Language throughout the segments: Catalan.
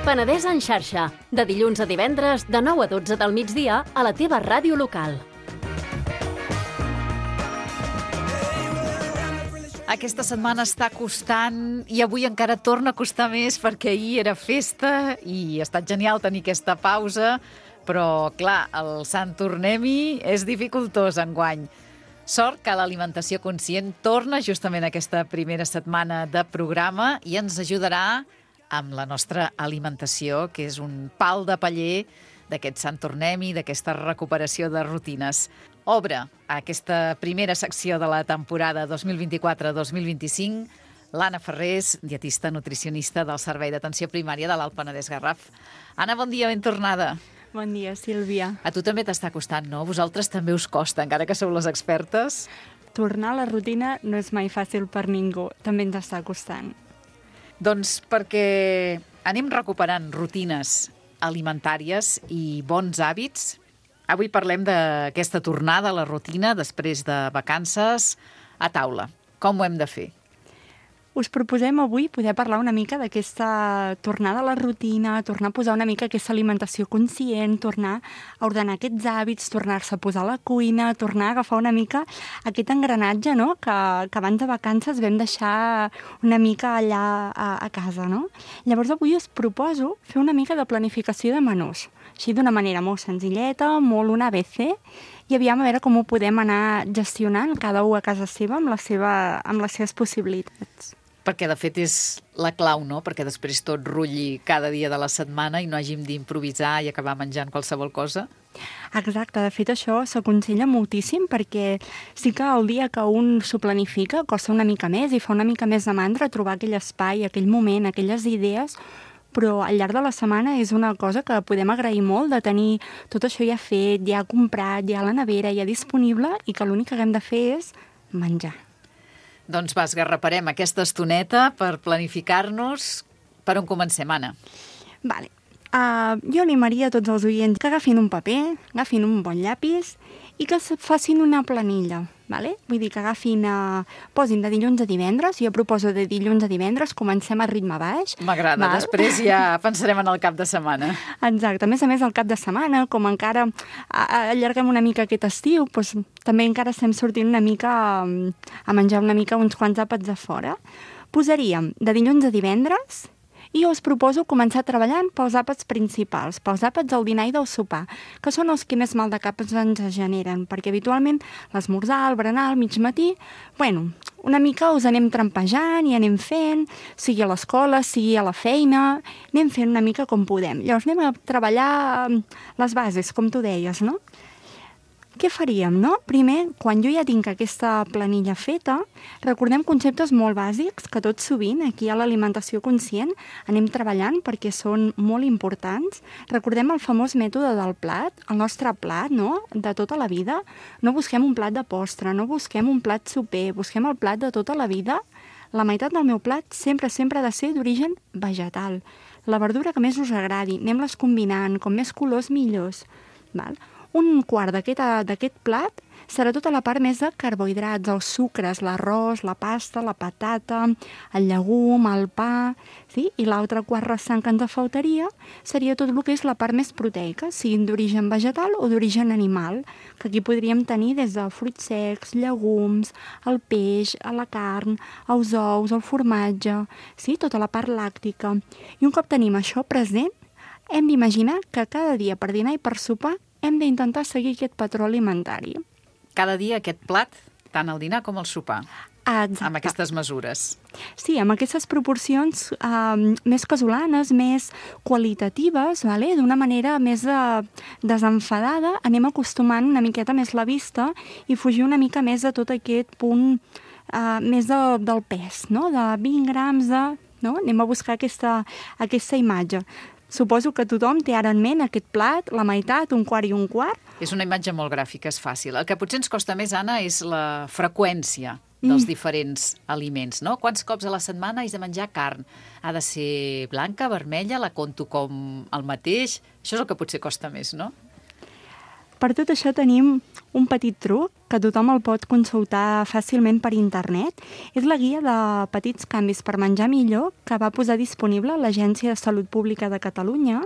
Penedès en xarxa, de dilluns a divendres, de 9 a 12 del migdia, a la teva ràdio local. Aquesta setmana està costant i avui encara torna a costar més perquè ahir era festa i ha estat genial tenir aquesta pausa, però, clar, el Sant Tornem-hi és dificultós enguany. Sort que l'alimentació conscient torna justament aquesta primera setmana de programa i ens ajudarà amb la nostra alimentació, que és un pal de paller d'aquest Sant Tornem-hi, d'aquesta recuperació de rutines. Obre aquesta primera secció de la temporada 2024-2025 l'Anna Ferrés, dietista nutricionista del Servei d'Atenció Primària de l'Alt Penedès Garraf. Anna, bon dia, ben tornada. Bon dia, Sílvia. A tu també t'està costant, no? Vosaltres també us costa, encara que sou les expertes. Tornar a la rutina no és mai fàcil per ningú, també ens està costant. Doncs perquè anem recuperant rutines alimentàries i bons hàbits. Avui parlem d'aquesta tornada a la rutina després de vacances a taula. Com ho hem de fer? Us proposem avui poder parlar una mica d'aquesta tornada a la rutina, tornar a posar una mica aquesta alimentació conscient, tornar a ordenar aquests hàbits, tornar-se a posar a la cuina, tornar a agafar una mica aquest engranatge, no?, que abans de vacances vam deixar una mica allà a casa, no? Llavors avui us proposo fer una mica de planificació de menús, així d'una manera molt senzilleta, molt un ABC, i aviam a veure com ho podem anar gestionant cada u a casa seva amb les seves possibilitats. Perquè, de fet, és la clau, no? Perquè després tot rutlli cada dia de la setmana i no hàgim d'improvisar i acabar menjant qualsevol cosa. Exacte, de fet això s'aconsella moltíssim perquè sí que el dia que un s'ho planifica costa una mica més i fa una mica més de mandra trobar aquell espai, aquell moment, aquelles idees, però al llarg de la setmana és una cosa que podem agrair molt de tenir tot això ja fet, ja comprat, ja a la nevera, ja disponible i que l'únic que haguem de fer és menjar. Doncs va, esgarraparem aquesta estoneta per planificar-nos. Per on comencem, Anna? Vale. Jo animaria a tots els oients que agafin un paper, agafin un bon llapis i que facin una planilla. Vale? Vull dir que posin de dilluns a divendres, jo proposo de dilluns a divendres, comencem a ritme baix. M'agrada, després ja pensarem en el cap de setmana. Exacte, a més el cap de setmana, com encara allarguem una mica aquest estiu, doncs, també encara estem sortint una mica a menjar una mica uns quants àpats de fora. Posaríem de dilluns a divendres i us proposo començar treballant pels àpats principals, pels àpats del dinar i del sopar, que són els que més mal de cap ens generen, perquè habitualment l'esmorzar, el berenar, el mig matí, una mica us anem trampejant i anem fent, sigui a l'escola, sigui a la feina, anem fent una mica com podem. Llavors anem a treballar les bases, com tu deies, no? Què faríem, no? Primer, quan jo ja tinc aquesta planilla feta, recordem conceptes molt bàsics que tot sovint aquí a l'alimentació conscient anem treballant perquè són molt importants. Recordem el famós mètode del plat, el nostre plat, no?, de tota la vida. No busquem un plat de postre, no busquem un plat soper, busquem el plat de tota la vida. La meitat del meu plat sempre ha de ser d'origen vegetal. La verdura que més us agradi, anem-les combinant, com més colors millors, val? Un quart d'aquest plat serà tota la part més de carbohidrats, els sucres, l'arròs, la pasta, la patata, el llegum, el pa, sí? I l'altre quart restant que ens faltaria seria tot el que és la part més proteica, siguin d'origen vegetal o d'origen animal, que aquí podríem tenir des de fruits secs, llegums, el peix, la carn, els ous, el formatge, sí? Tota la part làctica. I un cop tenim això present, hem d'imaginar que cada dia per dinar i per sopar hem d'intentar seguir aquest patró alimentari. Cada dia aquest plat, tant al dinar com al sopar. Exacte. Amb aquestes mesures. Sí, amb aquestes proporcions més casolanes, més qualitatives, vale? D'una manera més desenfadada, anem acostumant una miqueta més la vista i fugir una mica més de tot aquest punt més del pes, no? De 20 grams no? Anem a buscar aquesta imatge. Suposo que tothom té ara en ment aquest plat, la meitat, un quart i un quart. És una imatge molt gràfica, és fàcil. El que potser ens costa més, Anna, és la freqüència dels diferents aliments, no? Quants cops a la setmana has de menjar carn? Ha de ser blanca, vermella, la conto com el mateix? Això és el que potser costa més, no? Per tot això tenim un petit truc que tothom el pot consultar fàcilment per internet. És la guia de petits canvis per menjar millor que va posar disponible l'Agència de Salut Pública de Catalunya,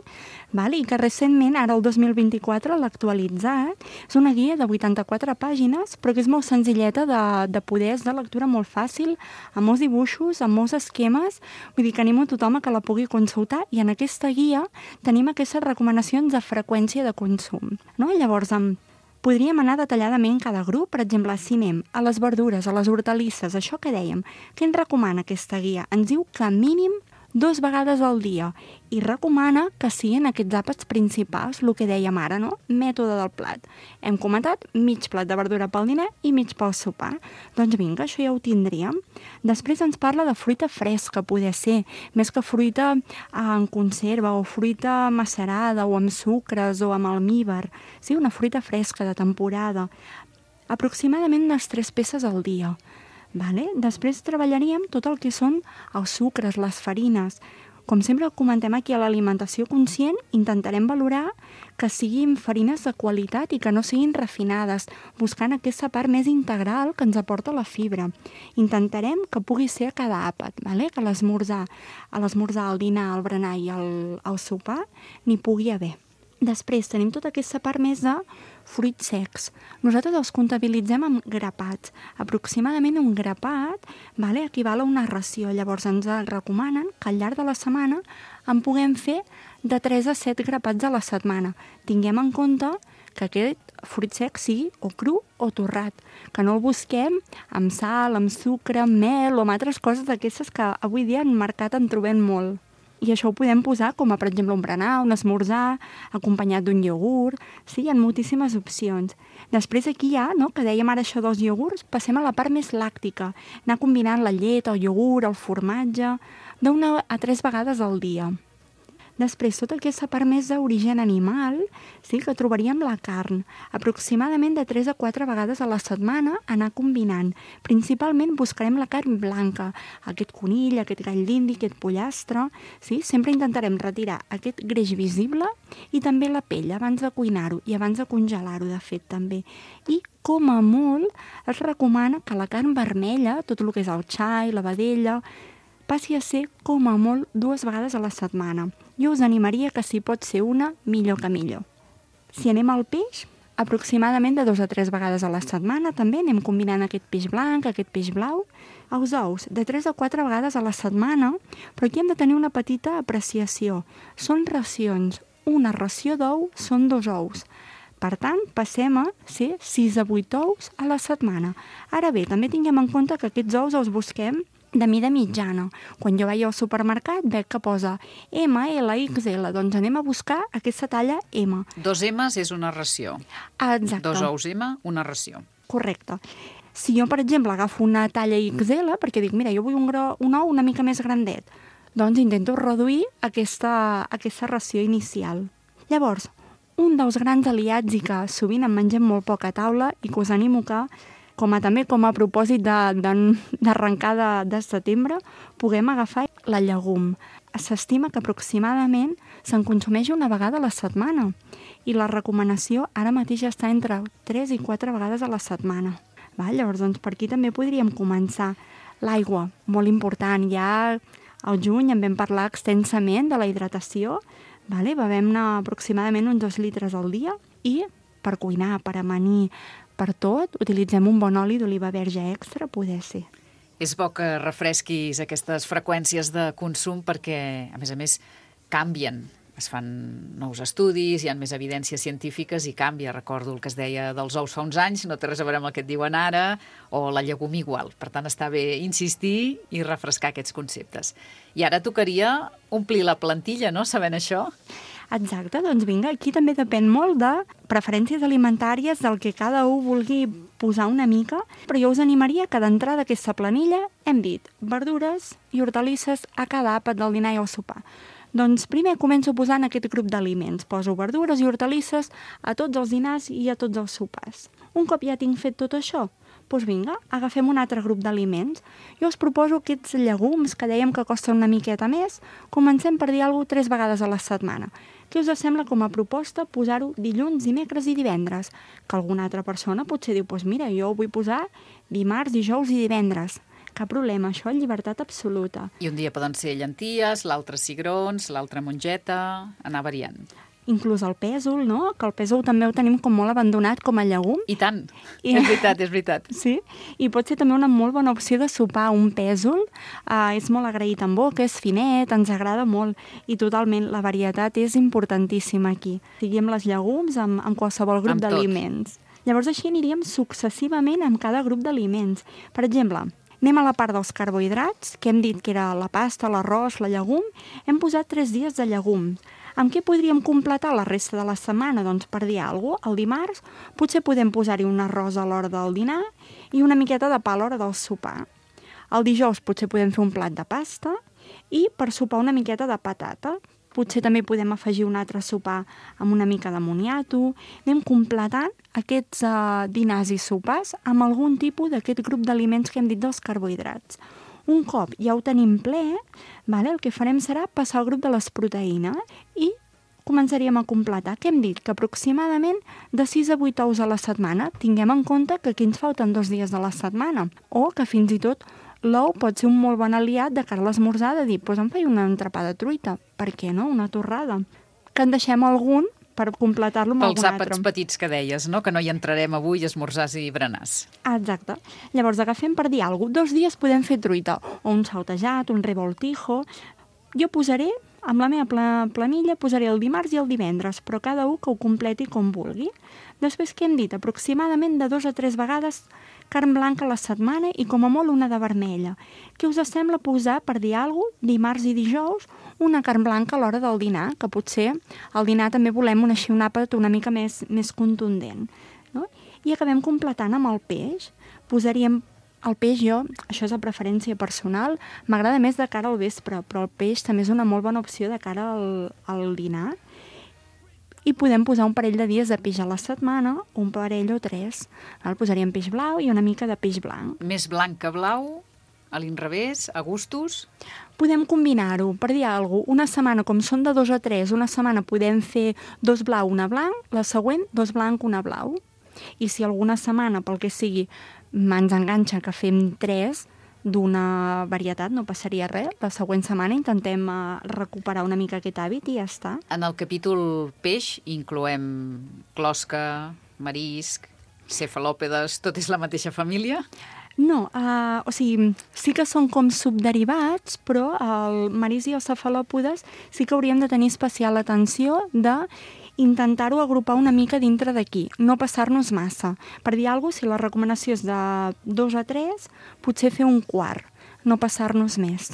i que recentment, ara el 2024, l'ha actualitzat. És una guia de 84 pàgines, però que és molt senzilleta de poder, és de lectura molt fàcil, amb molts dibuixos, amb molts esquemes. Vull dir que animo a tothom a que la pugui consultar, i en aquesta guia tenim aquestes recomanacions de freqüència de consum. Llavors, podríem anar detalladament cada grup. Per exemple, si anem a les verdures, a les hortalisses, això que dèiem, què ens recomana aquesta guia? Ens diu que mínim 2 vegades al dia, i recomana que siguin aquests àpats principals, el que dèiem ara, mètode del plat. Hem comentat mig plat de verdura pel dinar i mig pel sopar. Doncs vinga, això ja ho tindríem. Després ens parla de fruita fresca, poder ser, més que fruita en conserva o fruita macerada o amb sucres o amb almíbar. Sí, una fruita fresca de temporada. Aproximadament unes 3 peces al dia. Després treballaríem tot el que són els sucres, les farines. Com sempre comentem aquí a l'alimentació conscient, intentarem valorar que siguin farines de qualitat i que no siguin refinades, buscant aquesta part més integral que ens aporta la fibra. Intentarem que pugui ser a cada àpat, que a l'esmorzar, al dinar, al berenar i al sopar n'hi pugui haver. Després tenim tota aquesta part més de fruits secs. Nosaltres els comptabilitzem amb grapats. Aproximadament un grapat equival a una ració. Llavors ens recomanen que al llarg de la setmana en puguem fer de 3 a 7 grapats a la setmana. Tinguem en compte que aquest fruit sec sigui o cru o torrat, que no el busquem amb sal, amb sucre, amb mel o amb altres coses d'aquestes que avui dia en mercat en trobem molt. I això ho podem posar com a, per exemple, un berenar, un esmorzar, acompanyat d'un iogurt. Sí, hi ha moltíssimes opcions. Després aquí ja, que dèiem ara això dels iogurts, passem a la part més làctica. Anar combinant la llet, el iogurt, el formatge, d'1 a 3 vegades al dia. Després, tota aquesta part més d'origen animal, sí, que trobaríem la carn. Aproximadament de 3 a 4 vegades a la setmana anar combinant. Principalment buscarem la carn blanca, aquest conill, aquest gall d'indi, aquest pollastre. Sí? Sempre intentarem retirar aquest greix visible i també la pell abans de cuinar-ho i abans de congelar-ho, de fet, també. I com a molt es recomana que la carn vermella, tot el que és el xai, la vedella, passi a ser com a molt 2 vegades a la setmana. Jo us animaria que si pot ser una, millor que millor. Si anem al peix, aproximadament de 2 a 3 vegades a la setmana també anem combinant aquest peix blanc, aquest peix blau. Els ous, de 3 a 4 vegades a la setmana, però aquí hem de tenir una petita apreciació. Són racions. Una ració d'ou són 2 ous. Per tant, passem a ser 6 a 8 ous a la setmana. Ara bé, també tinguem en compte que aquests ous els busquem de mida mitjana. Quan jo vaig al supermercat veig que posa M, L, XL, doncs anem a buscar aquesta talla M. 2 M's és una ració. Exacte. 2 ous M, una ració. Correcte. Si jo, per exemple, agafo una talla XL, perquè dic, mira, jo vull un ou una mica més grandet, doncs intento reduir aquesta ració inicial. Llavors, un dels grans aliats i que sovint en mengem molt poc a taula i que us animo que també com a propòsit d'arrencar de setembre, puguem agafar la llegum. S'estima que aproximadament se'n consumeix una vegada a la setmana i la recomanació ara mateix està entre 3 i 4 vegades a la setmana. Llavors, doncs, per aquí també podríem començar. L'aigua, molt important. Ja al juny en vam parlar extensament de la hidratació. Bevem-ne aproximadament uns 2 litres al dia i per cuinar, per amanir, per tot, utilitzem un bon oli d'oliva verge extra, poder ser. És bo que refresquis aquestes freqüències de consum perquè, a més, canvien. Es fan nous estudis, hi ha més evidències científiques i canvia. Recordo el que es deia dels ous fa uns anys, no té res a veure amb el que et diuen ara, o la llegum igual. Per tant, està bé insistir i refrescar aquests conceptes. I ara tocaria omplir la plantilla, no?, sabent això. Exacte, doncs vinga, aquí també depèn molt de preferències alimentàries, del que cada un vulgui posar una mica, però jo us animaria que d'entrada d'aquesta planilla hem dit verdures i hortalisses a cada àpat del dinar i al sopar. Doncs primer començo posant aquest grup d'aliments. Poso verdures i hortalisses a tots els dinars i a tots els sopars. Un cop ja tinc fet tot això, Doncs vinga, agafem un altre grup d'aliments. Jo us proposo aquests llegums que dèiem que costen una miqueta més, comencem per dir alguna cosa 3 vegades a la setmana. Què us sembla com a proposta posar-ho dilluns, dimecres i divendres? Que alguna altra persona potser diu, doncs mira, jo ho vull posar dimarts, dijous i divendres. Cap problema, això, llibertat absoluta. I un dia poden ser llenties, l'altre cigrons, l'altre mongeta, anar variant. Inclús el pèsol, no? Que el pèsol també ho tenim com molt abandonat com a llegum. I tant, és veritat, és veritat. Sí, i pot ser també una molt bona opció de sopar un pèsol. És molt agraït en boca, és finet, ens agrada molt. I totalment, la varietat és importantíssima aquí. Sigui amb les llegums, amb qualsevol grup d'aliments. Llavors així aniríem successivament amb cada grup d'aliments. Per exemple, anem a la part dels carbohidrats, que hem dit que era la pasta, l'arròs, la llegum. Hem posat 3 dies de llegums. Amb què podríem completar la resta de la setmana? Doncs per dir alguna cosa, el dimarts potser podem posar-hi un arròs a l'hora del dinar i una miqueta de pa a l'hora del sopar. El dijous potser podem fer un plat de pasta i per sopar una miqueta de patata. Potser també podem afegir un altre sopar amb una mica de moniato. Anem completant aquests dinars i sopars amb algun tipus d'aquest grup d'aliments que hem dit dels carbohidrats. Un cop ja ho tenim ple, el que farem serà passar al grup de les proteïnes i començaríem a completar. Què hem dit? Que aproximadament de 6 a 8 ous a la setmana. Tinguem en compte que aquí ens falten 2 dies de la setmana. O que fins i tot l'ou pot ser un molt bon aliat de cara a l'esmorzar, de dir, doncs em faig una entrepà de truita. Per què no? Una torrada. Que en deixem algun per completar-lo amb algun altre. Pels àpats petits que deies, no? Que no hi entrarem avui, esmorzars i berenars. Exacte. Llavors agafem per dir alguna cosa. 2 dies podem fer truita, o un saltejat, un revoltijo. Jo posaré, amb la meva planilla, posaré el dimarts i el divendres, però cada un que ho completi com vulgui. Després, què hem dit? Aproximadament de 2 a 3 vegades carn blanca a la setmana i com a molt una de vermella. Què us sembla posar, per dir alguna cosa, dimarts i dijous, una carn blanca a l'hora del dinar, que potser al dinar també volem un àpat una mica més contundent. No? I acabem completant amb el peix. Posaríem el peix, això és a preferència personal, m'agrada més de cara al vespre, però el peix també és una molt bona opció de cara al dinar. I podem posar un parell de dies de peix a la setmana, un parell o 3. Posaríem peix blau i una mica de peix blanc. Més blanc que blau, a l'inrevés, a gustos? Podem combinar-ho, per dir alguna cosa. Una setmana, com són de 2 a 3, una setmana podem fer 2 blau, una blanc, la següent 2 blanc, una blau. I si alguna setmana, pel que sigui, ens enganxa que fem 3 d'una varietat, no passaria res. La següent setmana intentem recuperar una mica aquest hàbit i ja està. En el capítol peix incloem closca, marisc, cefalòpedes, tot és la mateixa família? No, sí que són com subderivats, però el marisc i els cefalòpodes sí que hauríem de tenir especial atenció de intentar-ho agrupar una mica dintre d'aquí, no passar-nos massa. Per dir alguna cosa, si la recomanació és de 2 a 3, potser fer un quart, no passar-nos més.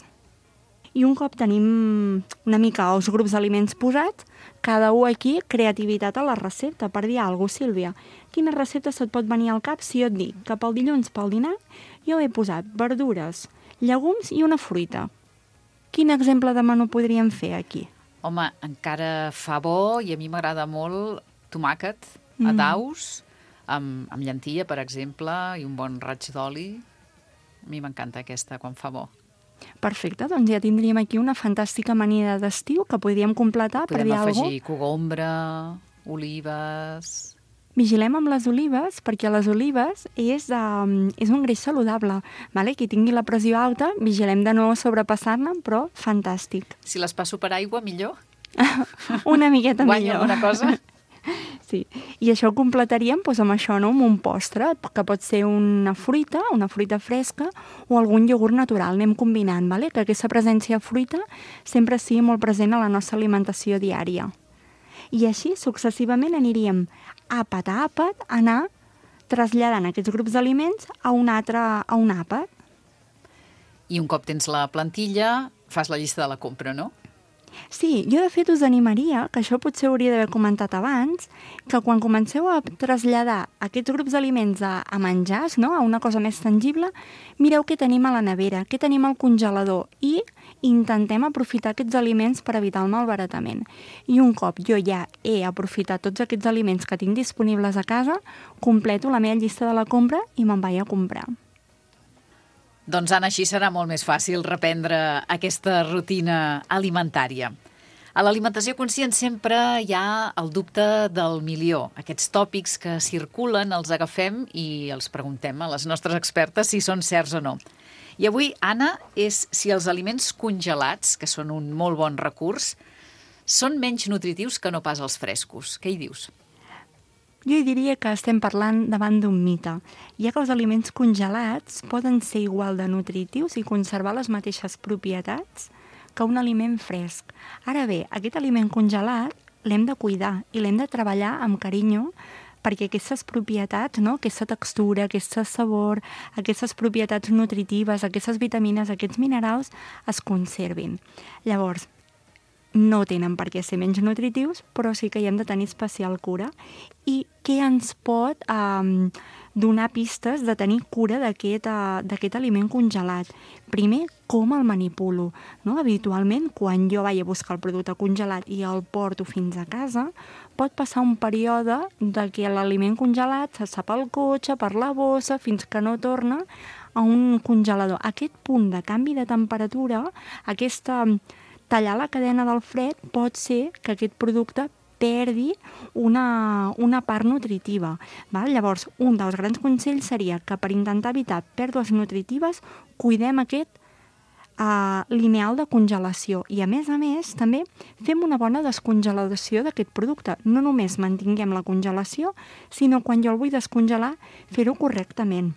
I un cop tenim una mica els grups d'aliments posats, cada un aquí, creativitat a la recepta. Per dir alguna cosa, Sílvia, quina recepta se't pot venir al cap si jo et dic que pel dilluns, pel dinar, jo he posat verdures, llegums i una fruita? Quin exemple de menú podríem fer aquí? Home, encara fa bo i a mi m'agrada molt tomàquet a daus, amb llentilla, per exemple, i un bon raig d'oli. A mi m'encanta aquesta quan fa bo. Perfecte, doncs ja tindríem aquí una fantàstica amanida d'estiu que podríem completar per dir alguna cosa. Podem afegir cogombre, olives... Vigilem amb les olives, perquè les olives és un greix saludable. Qui tingui la pressió alta, vigilem de no sobrepassar-ne, però fantàstic. Si les passo per aigua, millor? Una miqueta millor. Guanya alguna cosa? Sí, i això ho completaríem amb això, no? Amb un postre, que pot ser una fruita fresca o algun iogurt natural. Anem combinant, que aquesta presència de fruita sempre sigui molt present a la nostra alimentació diària. I així, successivament, aniríem àpat a àpat, anar traslladant aquests grups d'aliments a un àpat. I un cop tens la plantilla, fas la llista de la compra, no? Sí, jo de fet us animaria, que això potser hauria d'haver comentat abans, que quan comenceu a traslladar aquests grups d'aliments a menjars, no? A una cosa més tangible, mireu què tenim a la nevera, què tenim al congelador i intentem aprofitar aquests aliments per evitar el malbaratament. I un cop jo ja he aprofitat tots aquests aliments que tinc disponibles a casa, completo la meva llista de la compra i me'n vaig a comprar. Doncs, Anna, així serà molt més fàcil reprendre aquesta rutina alimentària. A l'alimentació conscient sempre hi ha el dubte del milió. Aquests tòpics que circulen els agafem i els preguntem a les nostres expertes si són certs o no. I avui, Anna, és si els aliments congelats, que són un molt bon recurs, són menys nutritius que no pas els frescos. Què hi dius? Jo diria que estem parlant davant d'un mite, ja que els aliments congelats poden ser igual de nutritius i conservar les mateixes propietats que un aliment fresc. Ara bé, aquest aliment congelat l'hem de cuidar i l'hem de treballar amb carinyo perquè aquestes propietats, no? Aquesta textura, aquest sabor, aquestes propietats nutritives, aquestes vitamines, aquests minerals es conservin. Llavors, no tenen per què ser menys nutritius, però sí que hi hem de tenir especial cura. I què ens pot donar pistes de tenir cura d'aquest aliment congelat? Primer, com el manipulo. No? Habitualment, quan jo vaig a buscar el producte congelat i el porto fins a casa, pot passar un període de que l'aliment congelat se sap al cotxe, per la bossa, fins que no torna a un congelador. Aquest punt de canvi de temperatura, tallar la cadena del fred, pot ser que aquest producte perdi una part nutritiva. Val? Llavors, un dels grans consells seria que per intentar evitar pèrdues nutritives, cuidem aquest lineal de congelació. I a més, també fem una bona descongelació d'aquest producte. No només mantinguem la congelació, sinó quan jo el vull descongelar, fer-ho correctament.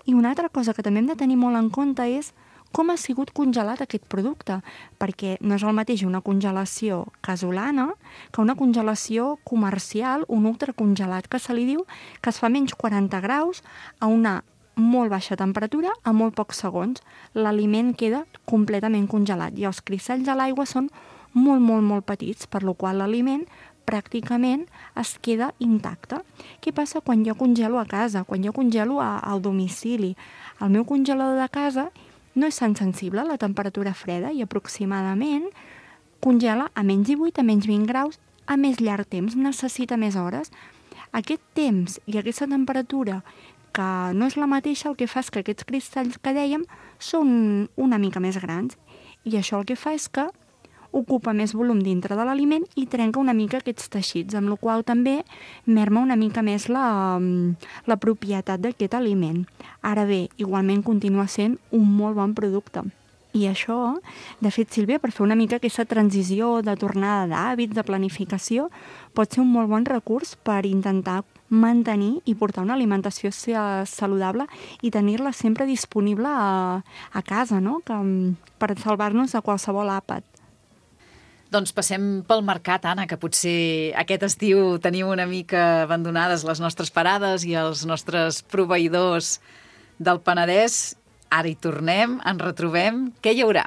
I una altra cosa que també hem de tenir molt en compte és com ha sigut congelat aquest producte, perquè no és el mateix una congelació casolana que una congelació comercial, un ultracongelat, que se li diu que es fa menys 40 graus a una molt baixa temperatura a molt pocs segons. L'aliment queda completament congelat i els cristalls de l'aigua són molt, molt, molt petits, per la qual l'aliment pràcticament es queda intacte. Què passa quan jo congelo a casa, quan jo congelo al domicili? El meu congelador de casa no és tan sensible a la temperatura freda i aproximadament congela a menys 18, a menys 20 graus, a més llarg temps, necessita més hores. Aquest temps i aquesta temperatura, que no és la mateixa, el que fa és que aquests cristalls que dèiem són una mica més grans i això el que fa és que ocupa més volum dintre de l'aliment i trenca una mica aquests teixits, amb la qual també merma una mica més la propietat d'aquest aliment. Ara bé, igualment continua sent un molt bon producte. I això, de fet, Sílvia, per fer una mica aquesta transició de tornada d'hàbits, de planificació, pot ser un molt bon recurs per intentar mantenir i portar una alimentació saludable i tenir-la sempre disponible a casa, no? Per salvar-nos de qualsevol àpat. Doncs passem pel mercat, Anna, que potser aquest estiu tenim una mica abandonades les nostres parades i els nostres proveïdors del Penedès. Ara hi tornem, ens retrobem. Què hi haurà?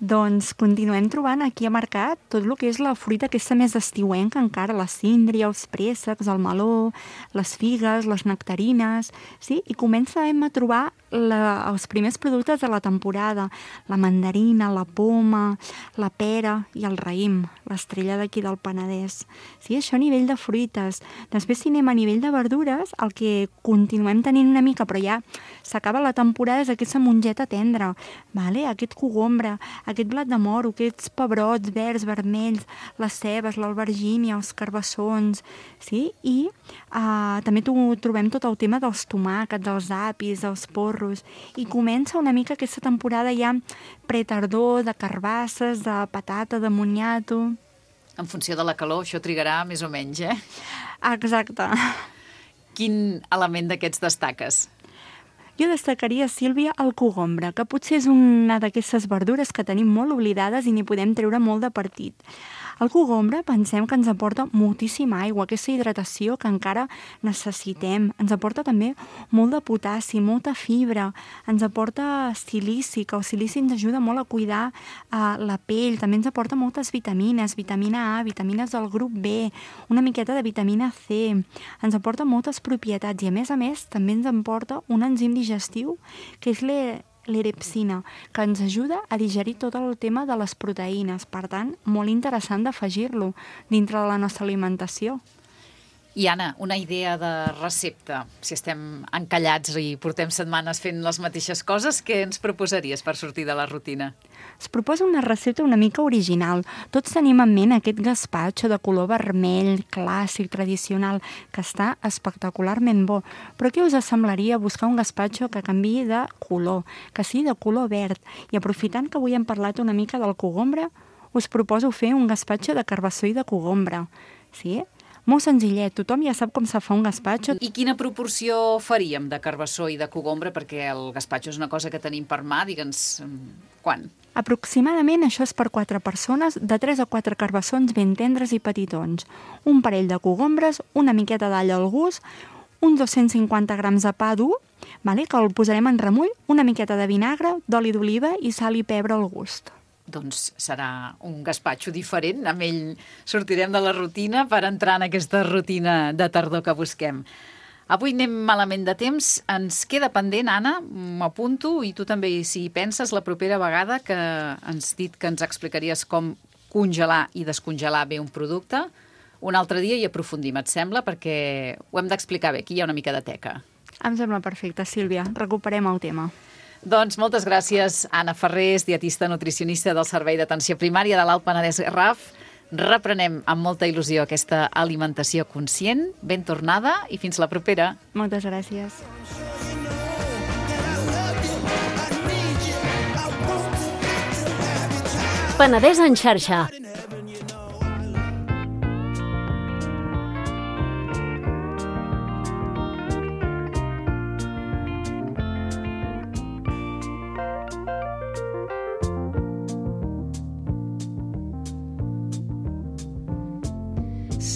Doncs continuem trobant aquí a mercat tot el que és la fruita aquesta més estiuenca encara, la síndria, els préssecs, el meló, les figues, les nectarines, sí? I comencem a trobar els primers productes de la temporada, la mandarina, la poma, la pera i el raïm, l'estrella d'aquí del Penedès. Sí, això a nivell de fruites. Després, si anem a nivell de verdures, el que continuem tenint una mica, però ja s'acaba la temporada, és aquesta mongeta tendra, vale? Aquest cogombre, aquest blat de moro, aquests pebrots verds, vermells, les cebes, l'albergínia, els carbassons, sí? I també trobem tot el tema dels tomàquets, dels apis, dels porros, i comença una mica aquesta temporada ja pretardor, de carbasses, de patata, de moniato. En funció de la calor, això trigarà més o menys, eh? Exacte. Quin element d'aquests destaques? Jo destacaria, Sílvia, el cogombre, que potser és una d'aquestes verdures que tenim molt oblidades i n'hi podem treure molt de partit. El cogombre pensem que ens aporta moltíssima aigua, aquesta hidratació que encara necessitem. Ens aporta també molt de potassi, molta fibra, ens aporta silici, que el silici ens ajuda molt a cuidar la pell, també ens aporta moltes vitamines, vitamina A, vitamines del grup B, una miqueta de vitamina C, ens aporta moltes propietats i a més també ens aporta un enzim digestiu que és l'erepsina, que ens ajuda a digerir tot el tema de les proteïnes. Per tant, molt interessant d'afegir-lo dintre de la nostra alimentació. I Anna, una idea de recepta. Si estem encallats i portem setmanes fent les mateixes coses, què ens proposaries per sortir de la rutina? Es proposa una recepta una mica original. Tots tenim en ment aquest gaspatxo de color vermell, clàssic, tradicional, que està espectacularment bo. Però què us semblaria buscar un gaspatxo que canviï de color, que sigui de color verd? I aprofitant que avui hem parlat una mica del cogombre, us proposo fer un gaspatxo de carbassó i de cogombre. Sí? Molt senzillet, tothom ja sap com se fa un gaspatxo. I quina proporció faríem de carbassó i de cogombre? Perquè el gaspatxo és una cosa que tenim per mà, digue'ns, quan? Aproximadament això és per 4 persones, de 3 a 4 carbassons ben tendres i petitons, un parell de cogombres, una miqueta d'all al gust, uns 250 grams de pa dur, que el posarem en remull, una miqueta de vinagre, d'oli d'oliva i sal i pebre al gust. Doncs serà un gaspatxo diferent. Amb ell sortirem de la rutina per entrar en aquesta rutina de tardor que busquem. Avui anem malament de temps. Ens queda pendent, Anna, m'apunto, i tu també, si hi penses, la propera vegada que ens dit que ens explicaries com congelar i descongelar bé un producte, un altre dia hi aprofundim, et sembla? Perquè ho hem d'explicar bé, aquí hi ha una mica de teca. Em sembla perfecte, Sílvia. Recuperem el tema. Doncs moltes gràcies, Anna Ferrés, dietista nutricionista del Servei d'Atenció Primària de l'Alt Penedès Garraf. Reprenem amb molta il·lusió aquesta alimentació conscient. Ben tornada i fins la propera. Moltes gràcies. Penedès en xarxa.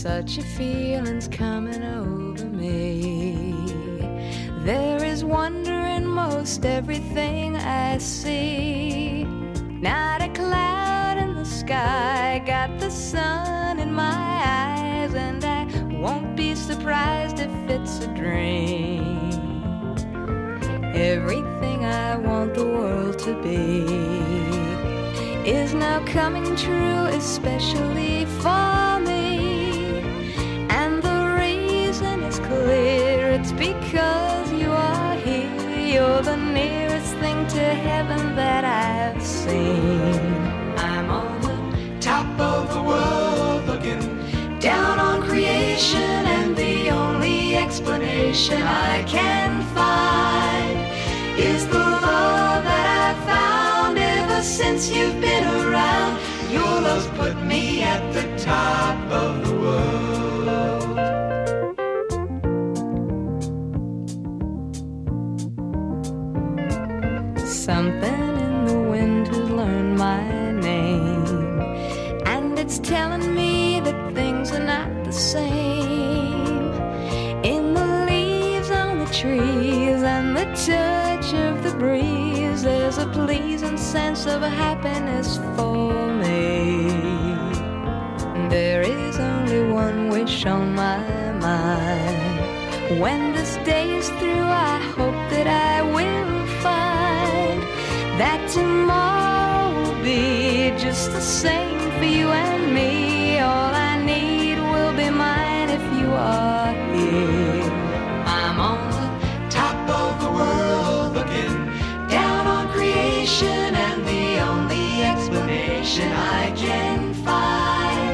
Such a feeling's coming over me. There is wonder in most everything I see. Not a cloud in the sky, got the sun in my eyes, and I won't be surprised if it's a dream. Everything I want the world to be is now coming true, especially for me. Clear, it's because you are here. You're the nearest thing to heaven that I've seen. I'm on the top of the world, looking down on creation, and the only explanation I can find is the love that I've found ever since you've been around. Your love's put me at the top of the world. Something in the wind has learned my name, and it's telling me that things are not the same. In the leaves on the trees and the touch of the breeze, there's a pleasing sense of happiness for me. There is only one wish on my mind. When this day is through, I hope that I will find that tomorrow will be just the same for you and me. All I need will be mine if you are here. I'm on the top of the world, looking down on creation, and the only explanation I can find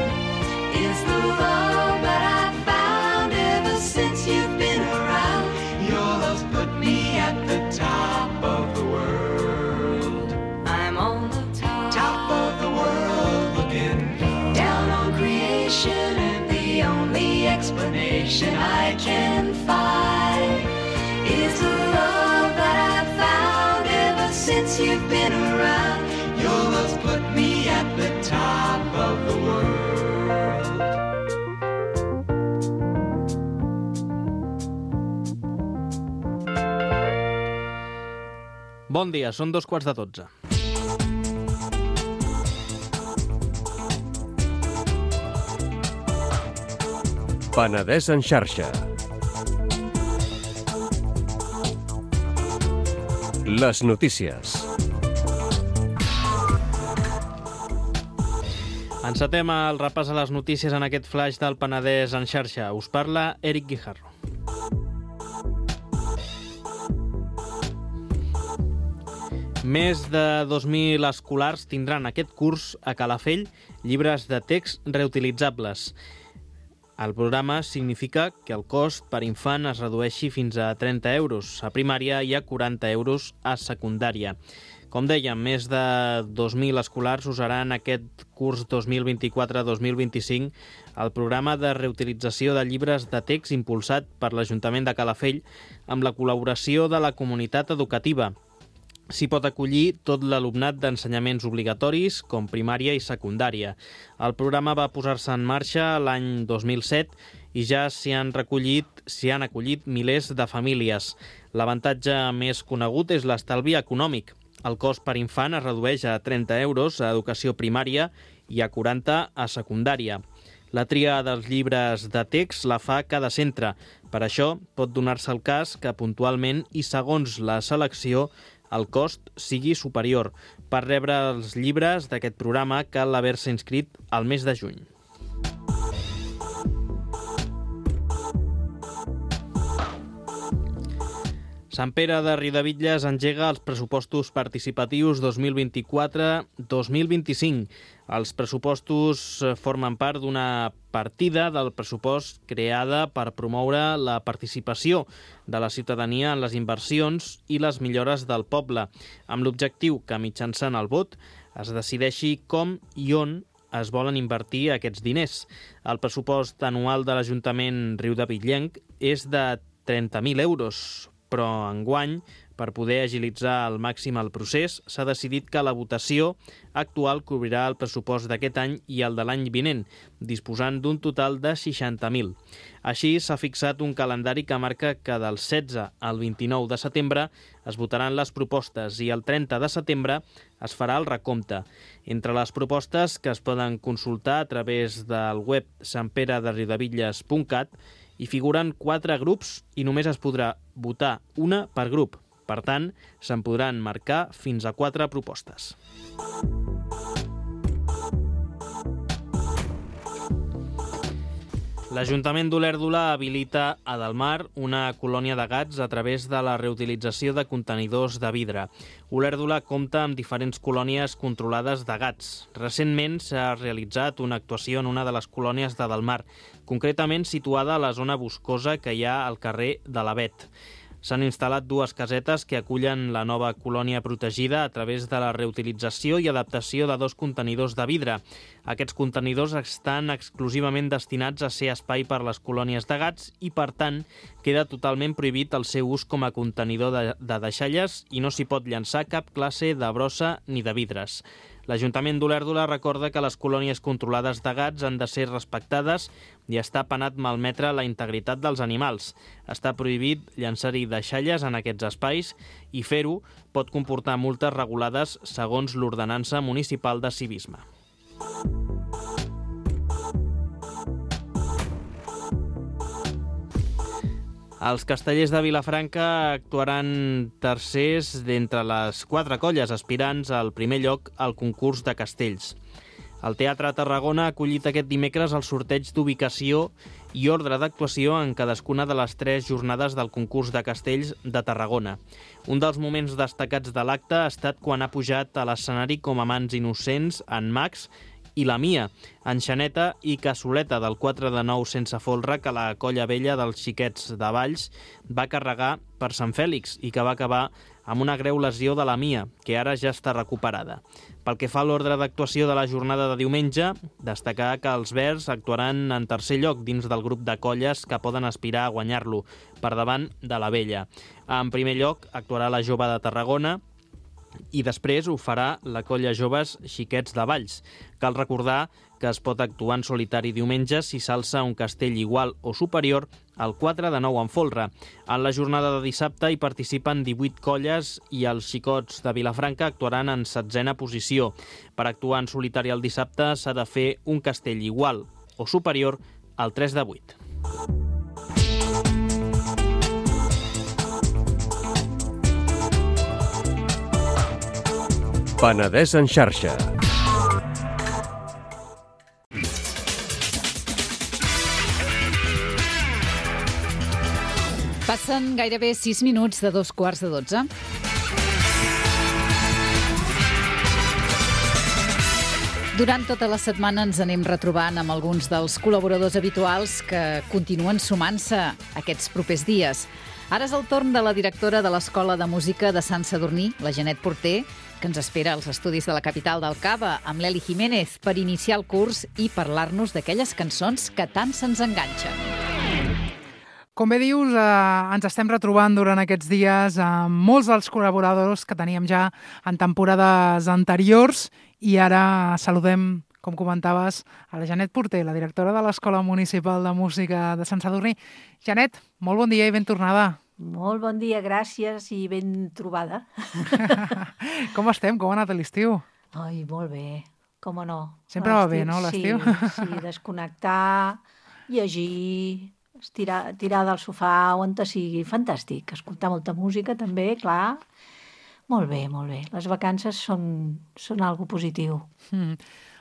is the love that I found ever since you've been around. Your love's put me at the top of the world. I'm on the top of the world, looking down on creation, and the only explanation I can find is the love that I found ever since you've been around. Your love's put me at the top of the world. Bon dia, són 2:45. Penedès en xarxa. Les notícies. Encetem el repàs a les notícies en aquest flash del Penedès en xarxa. Us parla Eric Guijarro. Més de 2.000 escolars tindran aquest curs a Calafell llibres de text reutilitzables. El programa significa que el cost per infant es redueixi fins a 30 euros a primària i a 40 euros a secundària. Com dèiem, més de 2.000 escolars usaran aquest curs 2024-2025 el programa de reutilització de llibres de text impulsat per l'Ajuntament de Calafell amb la col·laboració de la comunitat educativa. S'hi pot acollir tot l'alumnat d'ensenyaments obligatoris, com primària i secundària. El programa va posar-se en marxa l'any 2007 i ja s'hi han acollit milers de famílies. L'avantatge més conegut és l'estalvi econòmic. El cost per infant es redueix a 30 euros a educació primària i a 40 a secundària. La tria dels llibres de text la fa cada centre. Per això pot donar-se el cas que puntualment i segons la selecció el cost sigui superior. Per rebre els llibres d'aquest programa cal haver-se inscrit al mes de juny. Sant Pere de Riudebitlles engega els pressupostos participatius 2024-2025. Els pressupostos formen part d'una partida del pressupost creada per promoure la participació de la ciutadania en les inversions i les millores del poble, amb l'objectiu que mitjançant el vot es decideixi com i on es volen invertir aquests diners. El pressupost anual de l'Ajuntament riudebitllenc és de 30.000 euros, però enguany, per poder agilitzar al màxim el procés, s'ha decidit que la votació actual cobrirà el pressupost d'aquest any i el de l'any vinent, disposant d'un total de 60.000. Així, s'ha fixat un calendari que marca que del 16 al 29 de setembre es votaran les propostes i el 30 de setembre es farà el recompte. Entre les propostes que es poden consultar a través del web santperederriudebitlles.cat hi figuren 4 grups i només es podrà votar una per grup. Per tant, se'n podran marcar fins a 4 propostes. L'Ajuntament d'Olèrdola habilita a Delmar una colònia de gats a través de la reutilització de contenidors de vidre. Olèrdola compta amb diferents colònies controlades de gats. Recentment s'ha realitzat una actuació en una de les colònies de Delmar, concretament situada a la zona boscosa que hi ha al carrer de l'Avet. S'han instal·lat 2 casetes que acullen la nova colònia protegida a través de la reutilització i adaptació de 2 contenidors de vidre. Aquests contenidors estan exclusivament destinats a ser espai per les colònies de gats i, per tant, queda totalment prohibit el seu ús com a contenidor de deixalles i no s'hi pot llançar cap classe de brossa ni de vidres. L'Ajuntament d'Olèrdola recorda que les colònies controlades de gats han de ser respectades i està penat malmetre la integritat dels animals. Està prohibit llançar-hi deixalles en aquests espais i fer-ho pot comportar multes regulades segons l'ordenança municipal de civisme. Els castellers de Vilafranca actuaran tercers d'entre les 4 colles aspirants al primer lloc al concurs de castells. El Teatre Tarragona ha acollit aquest dimecres el sorteig d'ubicació i ordre d'actuació en cadascuna de les 3 jornades del concurs de castells de Tarragona. Un dels moments destacats de l'acte ha estat quan ha pujat a l'escenari com a mans innocents en Max i la Mia, enxaneta i cassoleta del 4 de 9 sense folre que la colla vella dels xiquets de Valls va carregar per Sant Fèlix i que va acabar amb una greu lesió de la Mia, que ara ja està recuperada. Pel que fa a l'ordre d'actuació de la jornada de diumenge, destacar que els verds actuaran en tercer lloc dins del grup de colles que poden aspirar a guanyar-lo, per davant de la vella. En primer lloc actuarà la Jove de Tarragona, I després ho farà la colla Joves Xiquets de Valls. Cal recordar que es pot actuar en solitari diumenge si s'alça un castell igual o superior al 4 de 9 en folre. En la jornada de dissabte hi participen 18 colles i els xicots de Vilafranca actuaran en 7a posició. Per actuar en solitari el dissabte s'ha de fer un castell igual o superior al 3 de 8. Penedès en xarxa. Passen gairebé 6 minuts de 2:15. Durant tota la setmana ens anem retrobant amb alguns dels col·laboradors habituals que continuen sumant-se aquests propers dies. Ara és el torn de la directora de l'Escola de Música de Sant Sadurní, la Janet Porter, que ens espera als estudis de la capital del Cava, amb l'Eli Jiménez, per iniciar el curs i parlar-nos d'aquelles cançons que tant se'ns enganxen. Com bé dius, ens estem retrobant durant aquests dies amb molts dels col·laboradors que teníem ja en temporades anteriors i ara saludem, com comentaves, a la Janet Porter, la directora de l'Escola Municipal de Música de Sant Sadurní. Janet, molt bon dia i ben tornada. Molt bon dia, gràcies i ben trobada. Com estem? Com ha anat l'estiu? Ai, molt bé, com no. Sempre va bé, no, l'estiu? Sí, desconnectar, llegir, tirar del sofà on te sigui, fantàstic. Escoltar molta música també, clar. Molt bé, molt bé. Les vacances són algo positiu.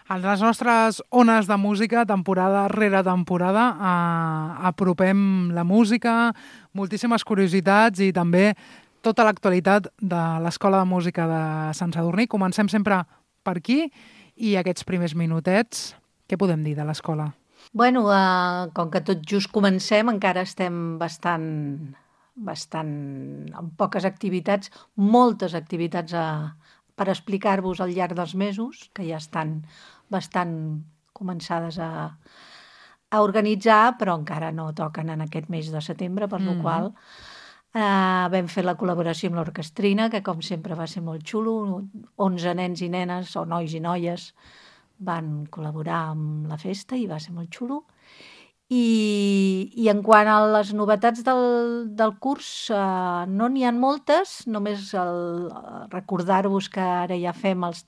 A les nostres ones de música, temporada rere temporada, apropem la música, moltíssimes curiositats i també tota l'actualitat de l'Escola de Música de Sant Sadurní. Comencem sempre per aquí i aquests primers minutets, què podem dir de l'escola? Bueno, com que tot just comencem, encara estem bastant amb poques activitats, moltes activitats per explicar-vos al llarg dels mesos, que ja estan bastant començades a organitzar, però encara no toquen en aquest mes de setembre, per la qual vam fer la col·laboració amb l'orquestrina, que com sempre va ser molt xulo. 11 nens i nenes, o nois i noies, van col·laborar amb la festa i va ser molt xulo. I en quant a les novetats del curs, no n'hi ha moltes, només recordar-vos que ara ja fem els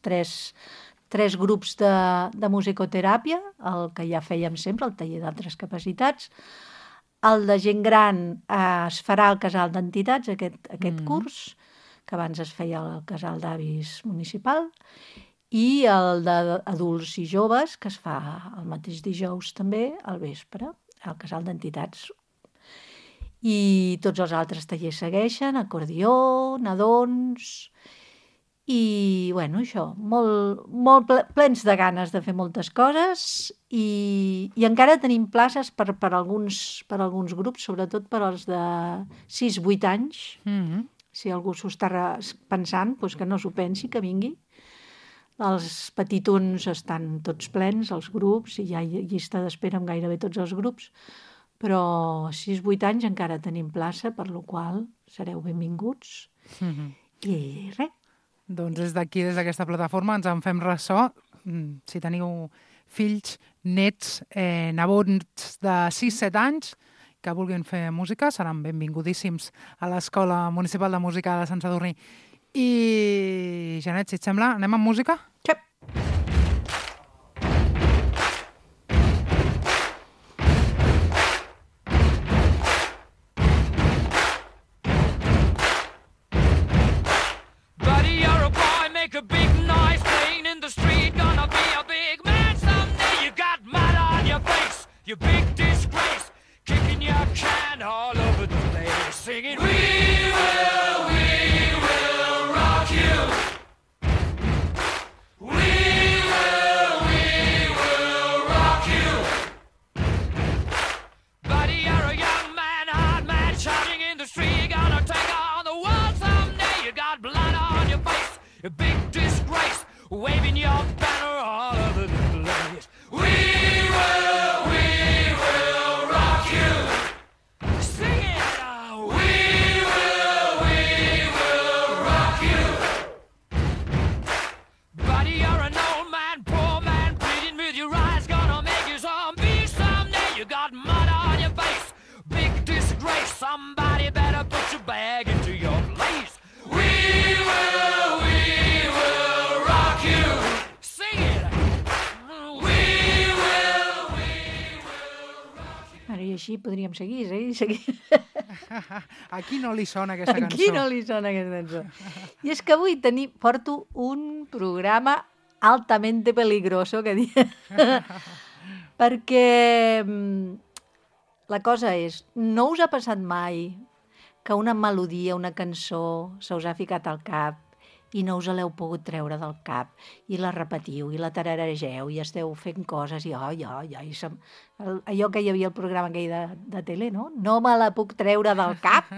tres grups de musicoteràpia, el que ja fèiem sempre, el taller d'altres capacitats. El de gent gran es farà al casal d'entitats, aquest curs, que abans es feia al casal d'avis municipal, i el d'adults i joves, que es fa el mateix dijous també, al vespre, al casal d'entitats. I tots els altres tallers segueixen, acordió, nadons, i, bueno, això, molt plens de ganes de fer moltes coses i encara tenim places per alguns grups, sobretot per als de 6-8 anys. Si algú s'ho està pensant, doncs que no s'ho pensi, que vingui. Els petitons estan tots plens, els grups, i hi ha llista d'espera amb gairebé tots els grups, però 6-8 anys encara tenim plaça, per la qual sereu benvinguts. I res. Doncs des d'aquí, des d'aquesta plataforma, ens en fem ressò. Si teniu fills, nets, nebots de 6-7 anys que vulguin fer música, seran benvingudíssims a l'Escola Municipal de Música de Sant Sadurní. I, Janet, si et sembla, anem amb música? Sí. Buddy, you're a boy, make a big noise, playing in the street, gonna be a big man someday. You got mud on your face, you big disgrace, kicking your can all over the place, singing, we will rock you. We així podríem seguir. A qui no li sona aquesta cançó? A qui no li sona aquesta cançó? I és que avui porto un programa altamente peligroso, que dic. Perquè la cosa és, no us ha passat mai que una melodia, una cançó, se us ha ficat al cap i no us l'heu pogut treure del cap, i la repetiu, i la tararegeu, i esteu fent coses, i allò que hi havia al programa aquell de tele, no? No me la puc treure del cap.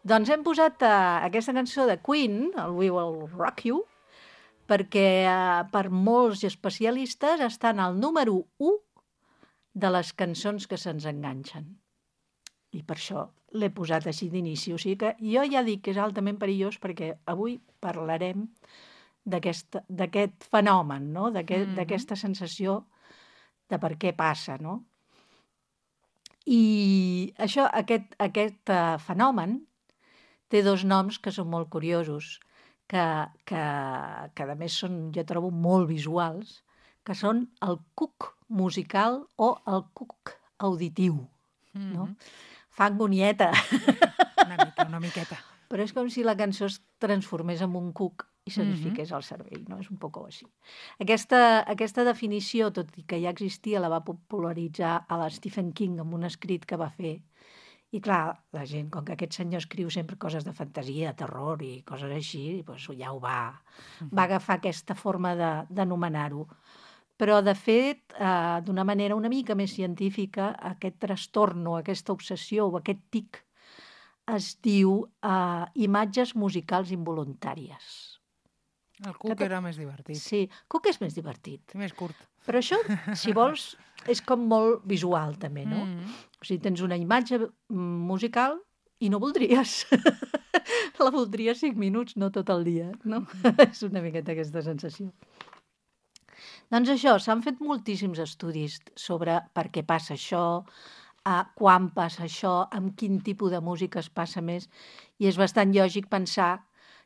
Doncs hem posat aquesta cançó de Queen, el We Will Rock You, perquè per molts especialistes està en el número 1 de les cançons que se'ns enganxen. I per això l'he posat així d'inici. O sigui que jo ja dic que és altament perillós perquè avui parlarem d'aquest fenomen, no? D'aquesta sensació de per què passa, no? I aquest fenomen té 2 noms que són molt curiosos, que a més són, jo trobo, molt visuals, que són el cuc musical o el cuc auditiu, no? Fa angonieta. Una miqueta. Però és com si la cançó es transformés en un cuc i se'ns fiqués al cervell, no? És un poc així. Aquesta definició, tot i que ja existia, la va popularitzar a l'Stephen King amb un escrit que va fer. I clar, la gent, com que aquest senyor escriu sempre coses de fantasia, terror i coses així, doncs ja ho va agafar aquesta forma d'anomenar-ho. Però, de fet, d'una manera una mica més científica, aquest trastorn o aquesta obsessió o aquest tic es diu imatges musicals involuntàries. El cuc era més divertit. Sí, cuc és més divertit. Més curt. Però això, si vols, és com molt visual, també, no? O sigui, tens una imatge musical i no voldries. La voldries 5 minuts, no tot el dia, no? És una miqueta aquesta sensació. Doncs això, s'han fet moltíssims estudis sobre per què passa això, quan passa això, amb quin tipus de música es passa més, i és bastant lògic pensar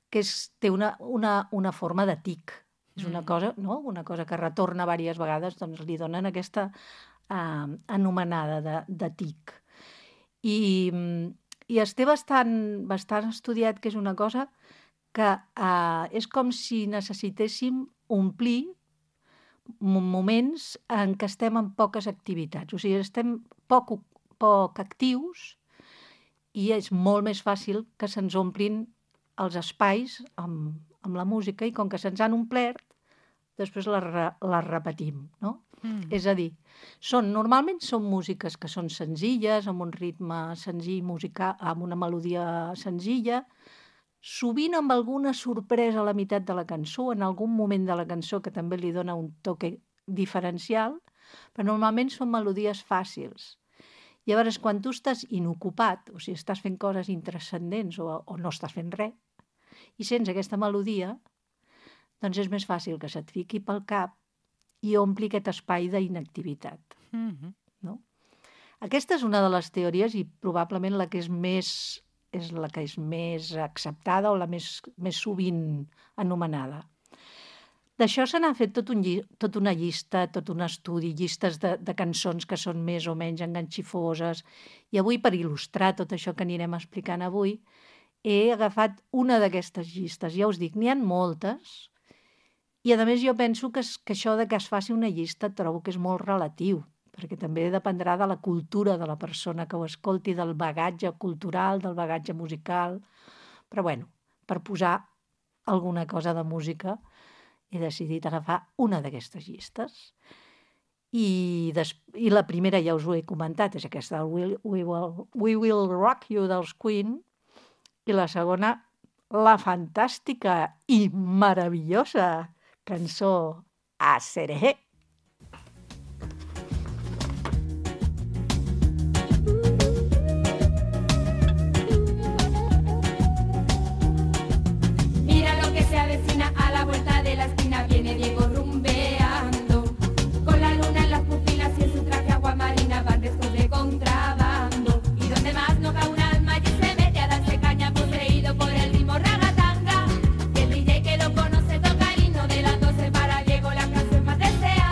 que té una forma de tic. És una cosa, no? Una cosa que retorna diverses vegades, doncs li donen aquesta anomenada de tic. I es té bastant estudiat que és una cosa que és com si necessitéssim omplir moments en què estem en poques activitats. O sigui, estem poc actius i és molt més fàcil que se'ns omplin els espais amb la música i com que se'ns han omplert, després les repetim, no? És a dir, normalment són músiques que són senzilles, amb un ritme senzill musical, amb una melodia senzilla, sovint amb alguna sorpresa a la meitat de la cançó, en algun moment de la cançó que també li dona un toque diferencial, però normalment són melodies fàcils. Llavors, quan tu estàs inocupat, o sigui, estàs fent coses intranscendents o no estàs fent res, i sents aquesta melodia, doncs és més fàcil que se't fiqui pel cap i ompli aquest espai d'inactivitat. No? Aquesta és una de les teories i probablement la que és més acceptada o la més sovint anomenada. D'això se n'ha fet tota una llista, tot un estudi, llistes de cançons que són més o menys enganxifoses. I avui, per il·lustrar tot això que anirem explicant avui, he agafat una d'aquestes llistes. Ja us dic, n'hi ha moltes. I, a més, jo penso que això de que es faci una llista trobo que és molt relatiu, perquè també dependrà de la cultura de la persona que ho escolti, del bagatge cultural, del bagatge musical. Però, bueno, per posar alguna cosa de música, he decidit agafar una d'aquestes llistes. I la primera ja us ho he comentat, és aquesta, We Will Rock You dels Queen, i la segona, la fantàstica i meravellosa cançó Aserejé. Viene Diego rumbeando, con la luna en las pupilas y en su traje aguamarina van restos de contrabando. Y donde más no cae un alma allí se mete a darse caña poseído por el ritmo ragatanga. Y el DJ que lo conoce toca el himno de las 12 para Diego, la canción más deseada.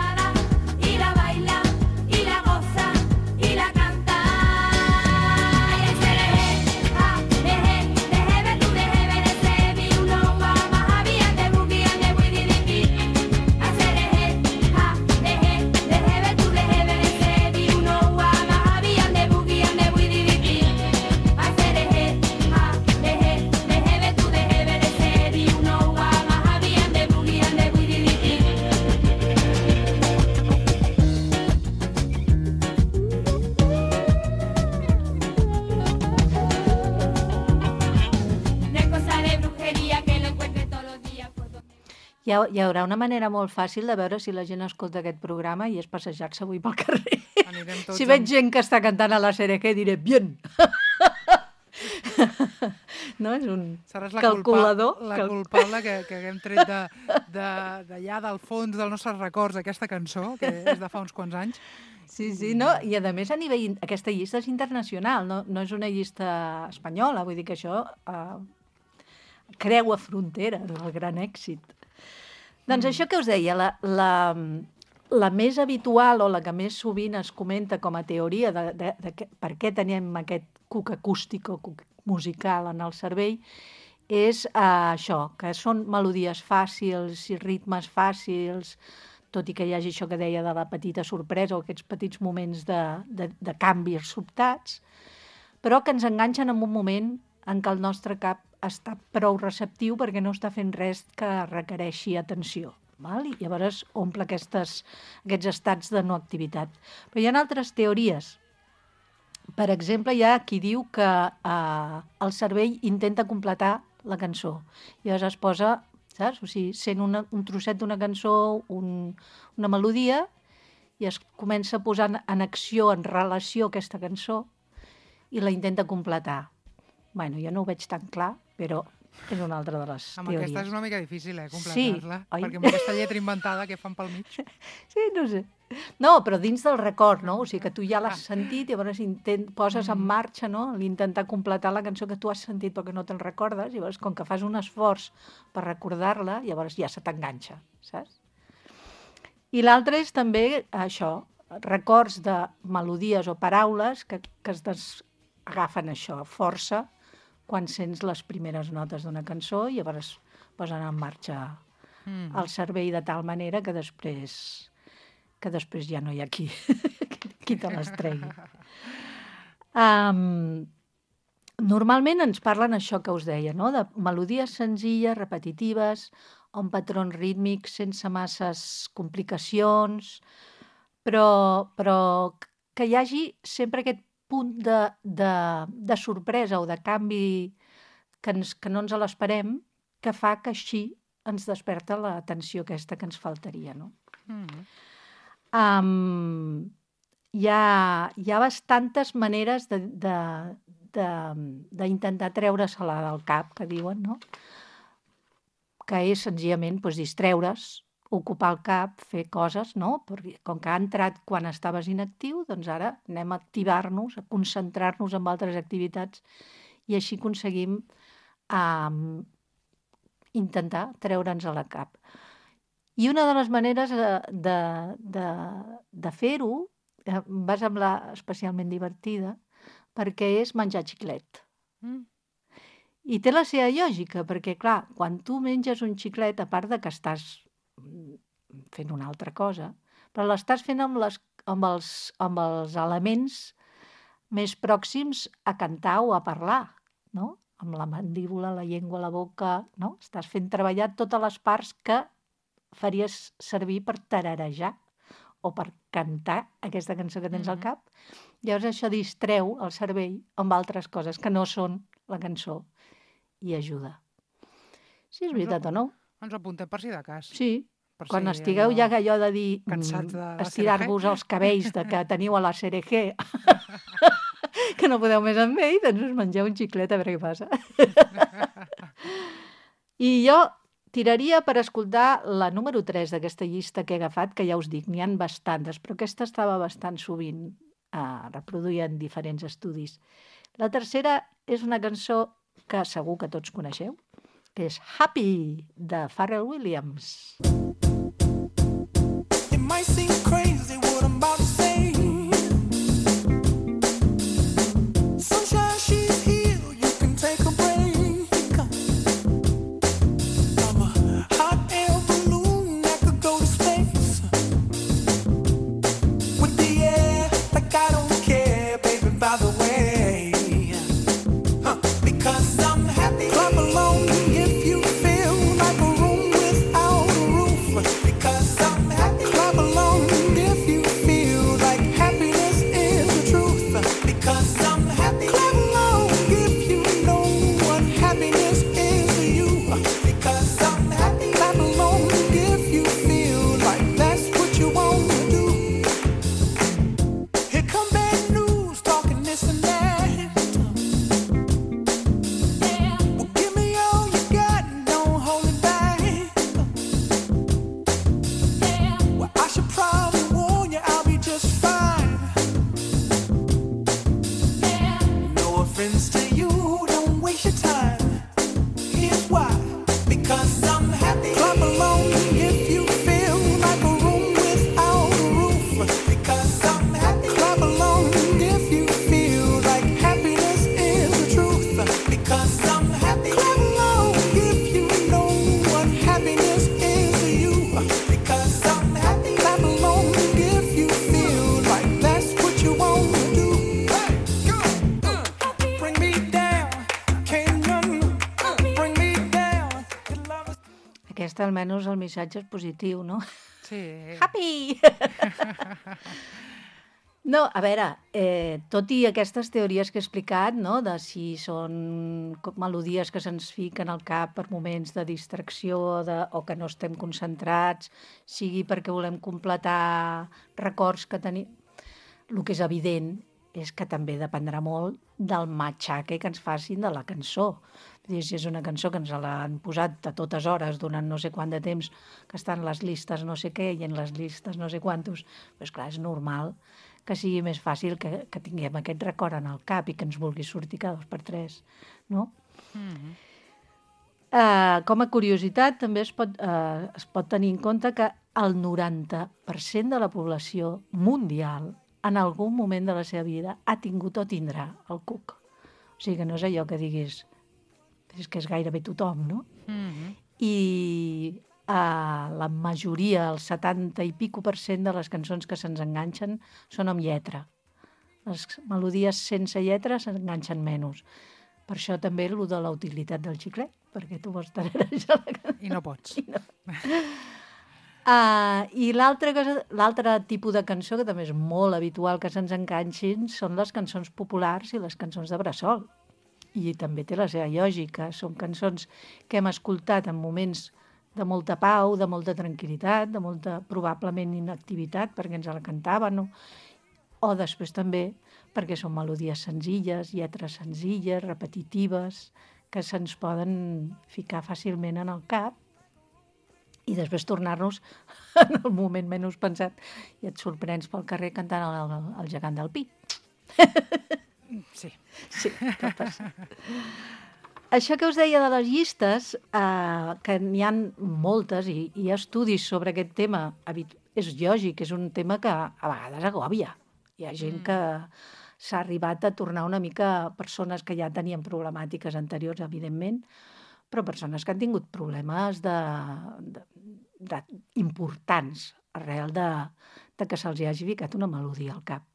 Hi haurà una manera molt fàcil de veure si la gent escolta aquest programa i és passejar-se avui pel carrer. Si veig gent que està cantant a la CRG, diré, bien! No? És un calculador. La culpable que haguem tret d'allà del fons dels nostres records aquesta cançó, que és de fa uns quants anys. Sí, no? I a més a nivell... Aquesta llista és internacional, no és una llista espanyola, vull dir que això creua fronteres, el gran èxit. Doncs això que us deia, la més habitual o la que més sovint es comenta com a teoria de per què tenim aquest cuc acústic o cuc musical en el cervell és això, que són melodies fàcils i ritmes fàcils, tot i que hi hagi això que deia de la petita sorpresa o aquests petits moments de canvis sobtats, però que ens enganxen en un moment en què el nostre cap està prou receptiu perquè no està fent res que requereixi atenció. Val? I llavors omple aquests estats de no activitat. Però hi ha altres teories. Per exemple, hi ha qui diu que el cervell intenta completar la cançó. I llavors es posa, saps? O sigui, sent un trosset d'una cançó, una melodia, i es comença a posar en acció, en relació aquesta cançó, i la intenta completar. Bueno, jo no ho veig tan clar, però és una altra de les teories. Aquesta és una mica difícil, completar-la, perquè amb aquesta lletra inventada que fan pel mig. Sí, no sé. No, però dins del record, no? O sigui, que tu ja l'has sentit i llavors poses en marxa, no?, l'intentar completar la cançó que tu has sentit perquè no te'n recordes, i llavors, com que fas un esforç per recordar-la, llavors ja se t'enganxa, saps? I l'altre és també això, records de melodies o paraules que agafen això, força, quan sents les primeres notes d'una cançó i llavors posen en marxa el cervell de tal manera que després ja no hi ha qui te les tregui. Normalment ens parlen això que us deia, no?, de melodies senzilles, repetitives, amb patrons rítmics, sense masses complicacions, però que hi hagi sempre aquest punt de sorpresa o de canvi que no ens l'esperem, que fa que així ens desperta l'atenció aquesta que ens faltaria, no? Hi ha bastantes maneres d'intentar treure-se-la del cap, que diuen, no? Que és senzillament distreure's, ocupar el cap, fer coses, no? Perquè com que ha entrat quan estaves inactiu, doncs ara anem a activar-nos, a concentrar-nos en altres activitats i així aconseguim intentar treure'ns a la cap. I una de les maneres de fer-ho em va semblar especialment divertida perquè és menjar xiclet. I té la seva lògica, perquè, clar, quan tu menges un xiclet, a part de que estàs fent una altra cosa, però l'estàs fent amb els elements més pròxims a cantar o a parlar, no? Amb la mandíbula, la llengua, la boca, no? Estàs fent treballar totes les parts que faries servir per tararejar o per cantar aquesta cançó que tens al cap. Llavors això distreu el cervell amb altres coses que no són la cançó i ajuda. Si és veritat o no. Ens ho apuntem per si de cas. Sí, quan estigueu ja allò de dir estirar-vos els cabells que teniu a la CRG, que no podeu més amb ell, doncs us mengeu un xiclet a veure què passa. I jo tiraria per escoltar la número 3 d'aquesta llista que he agafat, que ja us dic, n'hi ha bastantes, però aquesta estava bastant sovint reproduïda en diferents estudis. La tercera és una cançó que segur que tots coneixeu, que és Happy, de Pharrell Williams. It might seem crazy what I'm about to say. Sunshine, she's here, you can take a break. I'm a hot air balloon that could go to space. With the air, like I don't care, baby, by the way. Because I'm happy. Clap along if you feel like a room without a roof. Because I'm happy. Clap along if you feel like happiness is the truth. Because I'm happy. Clap along if you know what happiness is to you. Because I'm happy. Clap along almenys el missatge és positiu, no? Sí. Happy! No, a veure, tot i aquestes teories que he explicat, no?, de si són melodies que se'ns fiquen al cap per moments de distracció o que no estem concentrats, sigui perquè volem completar records que tenim... El que és evident és que també dependrà molt del matxaque que ens facin de la cançó. Si és una cançó que ens l'han posat a totes hores durant no sé quant de temps, que estan les listes no sé què i en les listes no sé quantos, doncs clar, és normal que sigui més fàcil que tinguem aquest record en el cap i que ens vulgui sortir cada 2 per 3, no? Com a curiositat, també es pot tenir en compte que el 90% de la població mundial en algun moment de la seva vida ha tingut o tindrà el cuc. O sigui que no és allò que diguis és que és gairebé tothom, no? I la majoria, el 70 i pico % de les cançons que se'ns enganxen són amb lletra. Les melodies sense lletra s'enganxen menys. Per això també el de la utilitat del xiclet, perquè tu vols tararejar la cançó. I no pots. I l'altre tipus de cançó, que també és molt habitual que se'ns enganxin, són les cançons populars i les cançons de bressol. I també té la seva lògica. Són cançons que hem escoltat en moments de molta pau, de molta tranquil·litat, de molta, probablement, inactivitat, perquè ens la cantaven, o després també perquè són melodies senzilles, lletres senzilles, repetitives, que se'ns poden ficar fàcilment en el cap i després tornar-nos en el moment menys pensat i et sorprens pel carrer cantant el gegant del Pi. Sí. Sí, pot passar. Això que us deia de les llistes, que n'hi ha moltes i hi ha estudis sobre aquest tema, és lògic, és un tema que a vegades agòbia. Hi ha gent que s'ha arribat a tornar una mica persones que ja tenien problemàtiques anteriors, evidentment, però persones que han tingut problemes importants arrel de que se'ls hagi ficat una melodia al cap.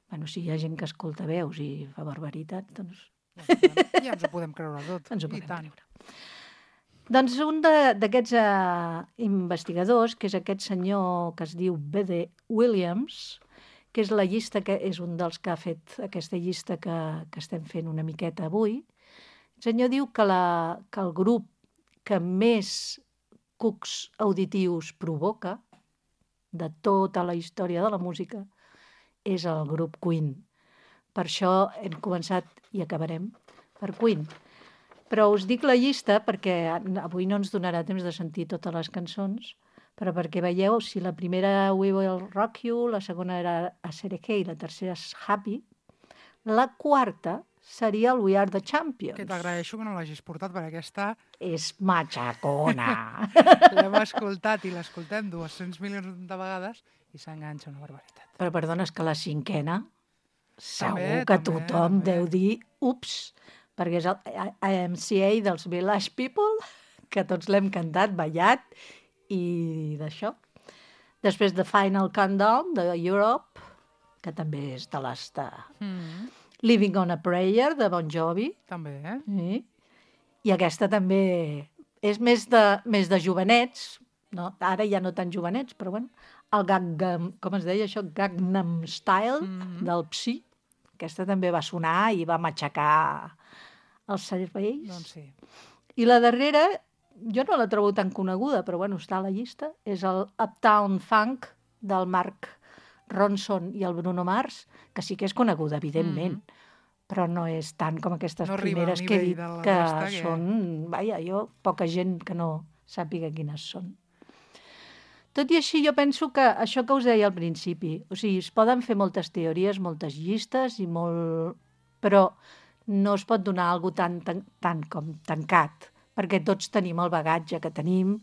Bueno, si hi ha gent que escolta veus i fa barbaritats, doncs... Ja ens ho podem creure tot. Ens ho podem creure. Doncs un d'aquests investigadors, que és aquest senyor que es diu B.D. Williams, que és la llista, que és un dels que ha fet aquesta llista que estem fent una miqueta avui, el senyor diu que el grup que més cucs auditius provoca de tota la història de la música és el grup Queen. Per això hem començat i acabarem per Queen. Però us dic la llista perquè avui no ens donarà temps de sentir totes les cançons, però perquè veieu, si la primera We Will Rock You, la segona era A Sereke i la tercera és Happy, la quarta seria el We Are the Champions. Que t'agraeixo que no l'hagis portat, perquè aquesta... És matxacona. L'hem escoltat i l'escoltem 200 milions de vegades i s'enganxa una barbaritat. Però perdona, és que la cinquena segur que tothom deu dir ups, perquè és el IMCA dels Village People, que tots l'hem cantat, ballat i d'això. Després The Final Countdown de Europe, que també és de les de... Living on a Prayer de Bon Jovi. També, Sí. I aquesta també és més de jovenets, no? Ara ja no tan jovenets, però bueno, el Gangnam, com es deia això? Gangnam Style del Psy. Aquesta també va sonar i va matxacar els serveis. Doncs sí. I la darrera, jo no la trobo tan coneguda, però bueno, està a la llista, és el Uptown Funk del Mark Ronson i el Bruno Mars, que sí que és coneguda, evidentment, però no és tant com aquestes primeres que he dit, que són... Vaja, poca gent que no sàpiga quines són. Tot i així, jo penso que això que us deia al principi, o sigui, es poden fer moltes teories, moltes llistes, però no es pot donar alguna cosa tan com tancat, perquè tots tenim el bagatge que tenim,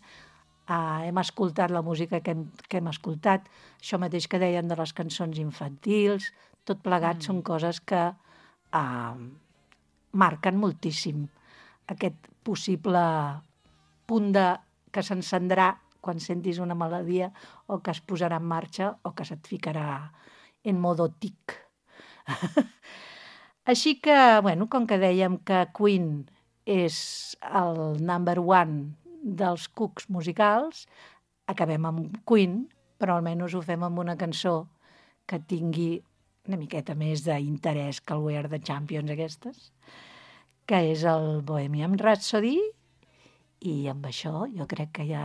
hem escoltat la música que hem escoltat, això mateix que deien de les cançons infantils, tot plegat són coses que marquen moltíssim aquest possible punt que s'encendrà quan sentis una melodia o que es posarà en marxa o que se't ficarà en modo tic. Així que, bueno, com que dèiem que Queen és el number one dels cucs musicals, acabem amb Queen, però almenys ho fem amb una cançó que tingui una miqueta més d'interès que el We Are the Champions aquestes, que és el Bohemian Rhapsody, i amb això jo crec que ja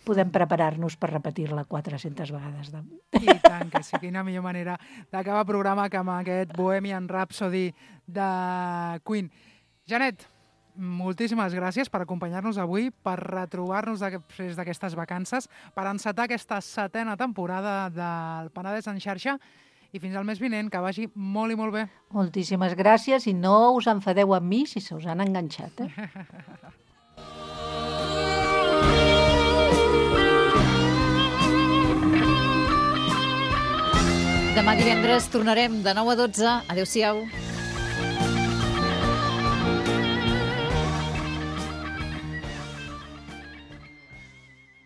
podem preparar-nos per repetir-la 400 vegades. I tant que sí, quina millor manera d'acabar el programa que amb aquest Bohemian Rhapsody de Queen. Janet, moltíssimes gràcies per acompanyar-nos avui, per retrobar-nos després d'aquestes vacances, per encetar aquesta 7a temporada del Penedès en xarxa, i fins al mes vinent, que vagi molt i molt bé. Moltíssimes gràcies, i no us enfadeu amb mi si se us han enganxat. Demà divendres tornarem de 9 a 12. Adéu-siau.